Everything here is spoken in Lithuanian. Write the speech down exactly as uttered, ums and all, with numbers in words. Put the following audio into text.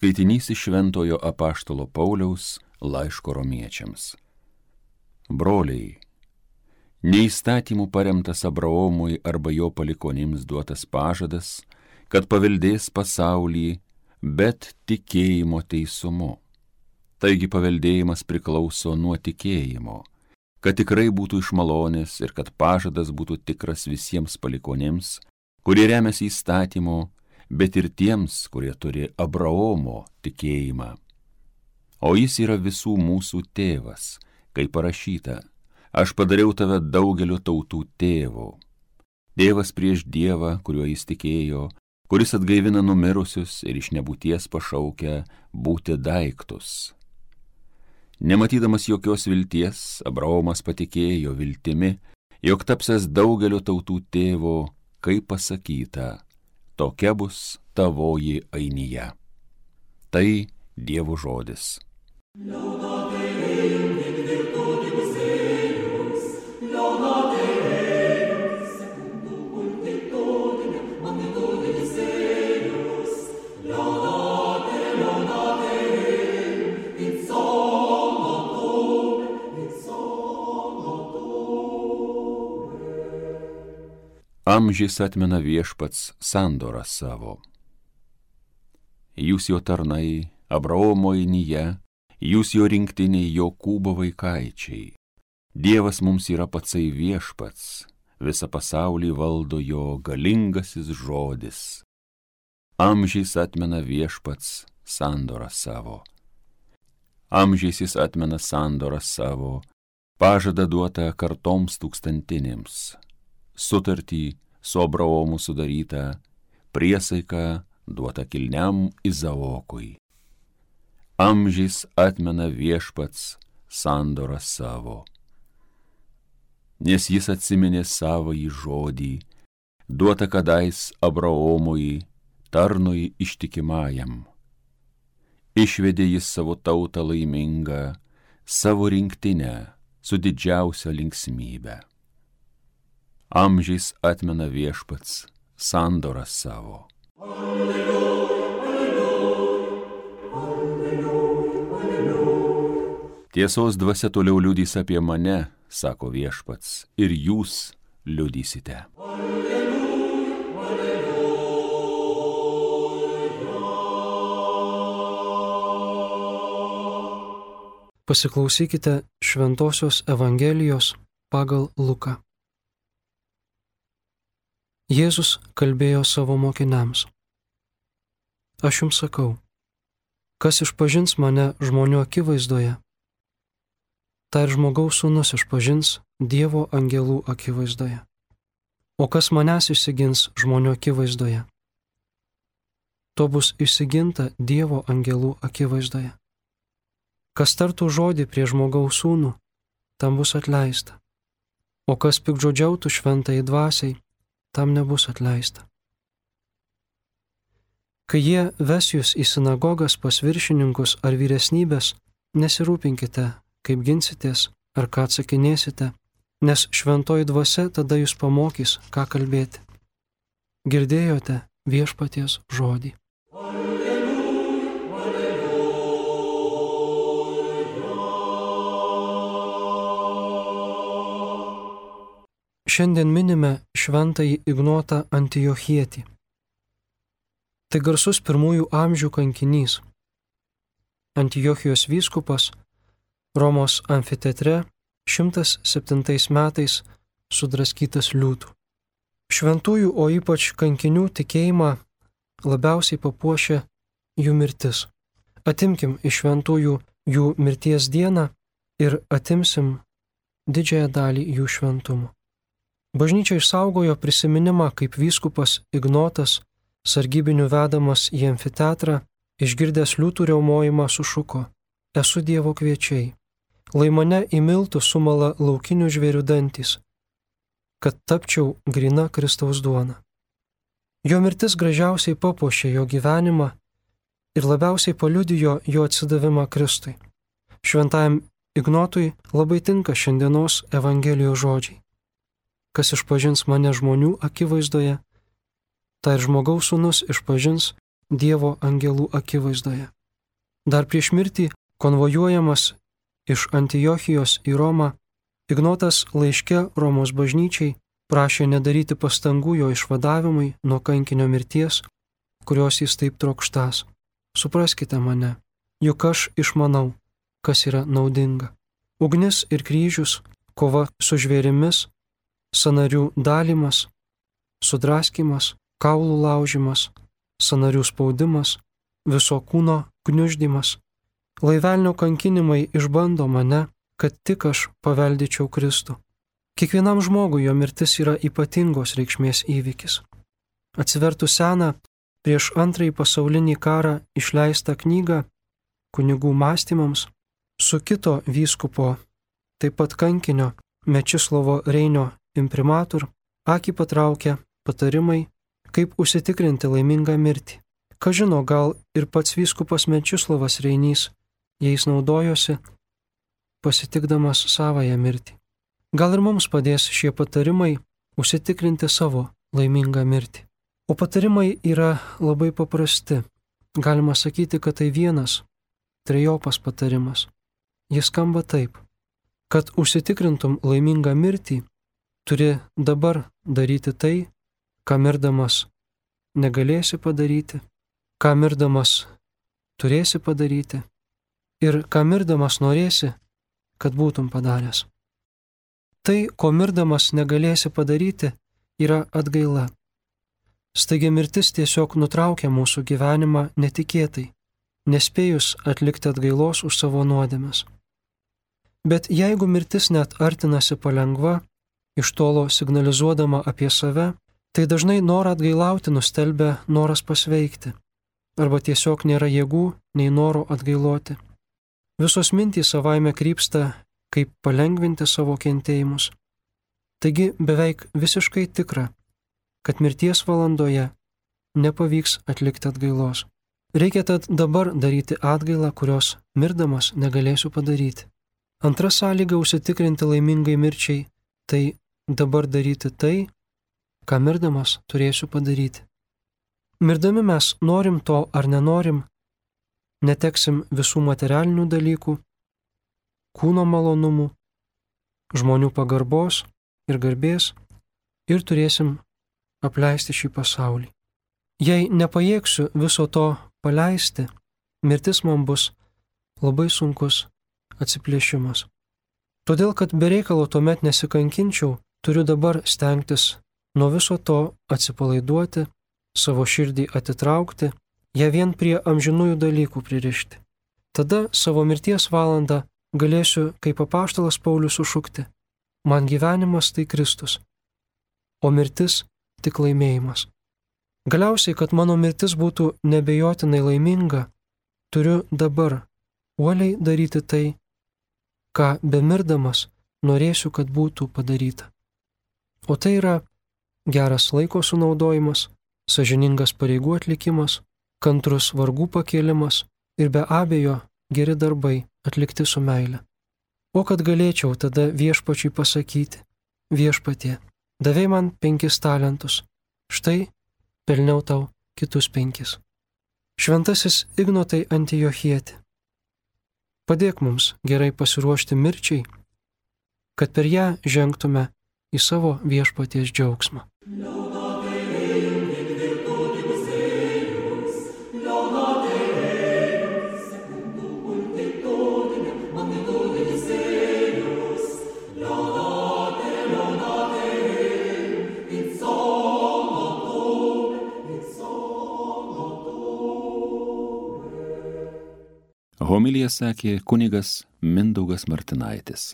Skaitinys iš Šventojo apaštalo Pauliaus laiško romiečiams. Broliai, neįstatymų paremtas Abraomui arba jo palikonims duotas pažadas, kad paveldės pasaulį, bet tikėjimo teisumu. Taigi paveldėjimas priklauso nuo tikėjimo, kad tikrai būtų iš malonės ir kad pažadas būtų tikras visiems palikonims, kurie remiasi įstatymu, bet ir tiems, kurie turi Abraomo tikėjimą. O jis yra visų mūsų tėvas, kaip parašyta, aš padariau tave daugelio tautų tėvu. Tėvas prieš Dievą, kuriuo jis tikėjo, kuris atgaivina numirusius ir iš nebūties pašaukia būti daiktus. Nematydamas jokios vilties, Abraomas patikėjo viltimi, jog tapsęs daugelio tautų tėvu, kaip pasakyta, tokia bus tavoji ainija. Tai Dievo žodis. Amžiais atmena viešpats sandorą savo. Jūs jo tarnai, Abraomo ainija, jūs jo rinktiniai, Jokūbo vaikaičiai. Dievas mums yra patsai viešpats, visą pasaulį valdo jo galingasis žodis. Amžiais atmena viešpats sandorą savo. Amžiais jis atmena sandorą savo, pažadą duotą kartoms tūkstantinėms. Sutartį su Abraomu sudarytą, priesaiką duotą kilniam Izaokui. Amžiais atmena viešpats sandorą savo. Nes jis atsiminė savąjį žodį, duotą kadais Abraomui, tarnui ištikimajam. Išvedė jis savo tautą laimingą, savo rinktinę su didžiausia linksmybe. Amžiais atmena viešpats sandorą savo. Alleluja, alleluja, alleluja. Tiesos dvasia toliau liudys apie mane, sako viešpats, ir jūs liudysite. Alleluja, alleluja. Pasiklausykite Šventosios Evangelijos pagal Luką. Jėzus kalbėjo savo mokiniams. Aš jums sakau, kas išpažins mane žmonių akivaizdoje, tai ir žmogaus sūnus išpažins Dievo angelų akivaizdoje. O kas manęs išsigins žmonių akivaizdoje, to bus išsiginta Dievo angelų akivaizdoje. Kas tartų žodį prie žmogaus sūnų, tam bus atleista. O kas piktžodžiautų šventajai dvasiai, tam nebus atleista. Kai jie ves jūs į sinagogas pas viršininkus ar vyresnybės, nesirūpinkite, kaip ginsitės ar ką atsakinėsite, nes šventoji dvasia tada jūs pamokys, ką kalbėti. Girdėjote viešpaties žodį. Alleluja, alleluja. Šiandien minime šventąjį Ignotą Antiochietį. Tai garsus pirmųjų amžių kankinys. Antiochijos vyskupas Romos amfiteatre šimtas septintais metais sudraskytas liūtų. Šventųjų, o ypač kankinių tikėjimą labiausiai papuošia jų mirtis. Atimkim iš šventųjų jų mirties dieną ir atimsim didžiąją dalį jų šventumo. Bažnyčia išsaugojo prisiminimą, kaip vyskupas Ignotas, sargybinių vedamas į amfiteatrą, išgirdęs liūtų riaumojimą sušuko: esu Dievo kviečiai, lai mane į miltų sumala laukinių žvėrių dantys, kad tapčiau gryna Kristaus duona. Jo mirtis gražiausiai papuošė jo gyvenimą ir labiausiai paliudijo jo atsidavimą Kristui. Šventajam Ignotui labai tinka šiandienos Evangelijos žodžiai. Kas išpažins mane žmonių akivaizdoje, tai ir žmogaus sūnus išpažins Dievo angelų akivaizdoje. Dar prieš mirtį, konvojuojamas iš Antiochijos į Romą, Ignotas laiške Romos bažnyčiai prašė nedaryti pastangų jo išvadavimui nuo kankinio mirties, kurios jis taip trokštas. Supraskite mane, juk aš išmanau, kas yra naudinga. Ugnis ir kryžius, kova su žvėrimis, sąnarių dalymas, sudraskimas, kaulų laužimas, sąnarių spaudimas, viso kūno gniuždymas. Laivelnio kankinimai išbando mane, kad tik aš paveldyčiau Kristų. Kiekvienam žmogui jo mirtis yra ypatingos reikšmės įvykis. Atsivertus seną, prieš antrąjį pasaulinį karą išleistą knygą kunigų mąstymams, su kito vyskupo, taip pat kankinio Mečislovo Reinio imprimatur, akį patraukia patarimai, kaip užsitikrinti laimingą mirtį. Ką žino, gal ir pats vyskupas Mečislovas Reinys jais naudojosi, pasitikdamas savąją mirtį. Gal ir mums padės šie patarimai užsitikrinti savo laimingą mirtį. O patarimai yra labai paprasti. Galima sakyti, kad tai vienas, trejopas patarimas. Jis skamba taip, kad užsitikrintum laimingą mirtį, turi dabar daryti tai, ką mirdamas negalėsi padaryti, ką mirdamas turėsi padaryti ir ką mirdamas norėsi, kad būtum padaręs. Tai, ko mirdamas negalėsi padaryti, yra atgaila. Staigia mirtis tiesiog nutraukia mūsų gyvenimą netikėtai, nespėjus atlikti atgailos už savo nuodėmes. Bet jeigu mirtis net artinasi palengva, iš tolo signalizuodama apie save, tai dažnai norą atgailauti nustelbia noras pasveikti, arba tiesiog nėra jėgų nei noro atgailoti. Visos mintys savaime krypsta, kaip palengvinti savo kentėjimus. Taigi beveik visiškai tikra, kad mirties valandoje nepavyks atlikti atgailos. Reikia tad dabar daryti atgailą, kurios mirdamas negalėsiu padaryti. Antra sąlyga užsitikrinti laimingai mirčiai, tai dabar daryti tai, ką mirdamas turėsiu padaryti. Mirdami mes norim to ar nenorim, neteksim visų materialinių dalykų, kūno malonumų, žmonių pagarbos ir garbės ir turėsim apleisti šį pasaulį. Jei nepajėgsiu viso to paleisti, mirtis man bus labai sunkus atsiplėšimas. Todėl, kad be reikalo tuomet nesikankinčiau, turiu dabar stengtis nuo viso to atsipalaiduoti, savo širdį atitraukti, ją vien prie amžinųjų dalykų pririšti. Tada savo mirties valandą galėsiu, kaip apaštalas Paulius, sušukti: man gyvenimas tai Kristus, o mirtis tik laimėjimas. Galiausiai, kad mano mirtis būtų nebejotinai laiminga, turiu dabar uoliai daryti tai, ką bemirdamas norėsiu, kad būtų padaryta. O tai yra geras laiko sunaudojimas, sąžiningas pareigų atlikimas, kantrus vargų pakėlimas ir be abejo geri darbai atlikti su meile. O kad galėčiau tada viešpačiui pasakyti: viešpatie, davei man penkis talentus, štai pelniau tau kitus penkis. Šventasis Ignotai Antiochieti, padėk mums gerai pasiruošti mirčiai, kad per ją žengtume į savo viešpaties džiaugsmą. Homiliją sakė kunigas Mindaugas Martinaitis.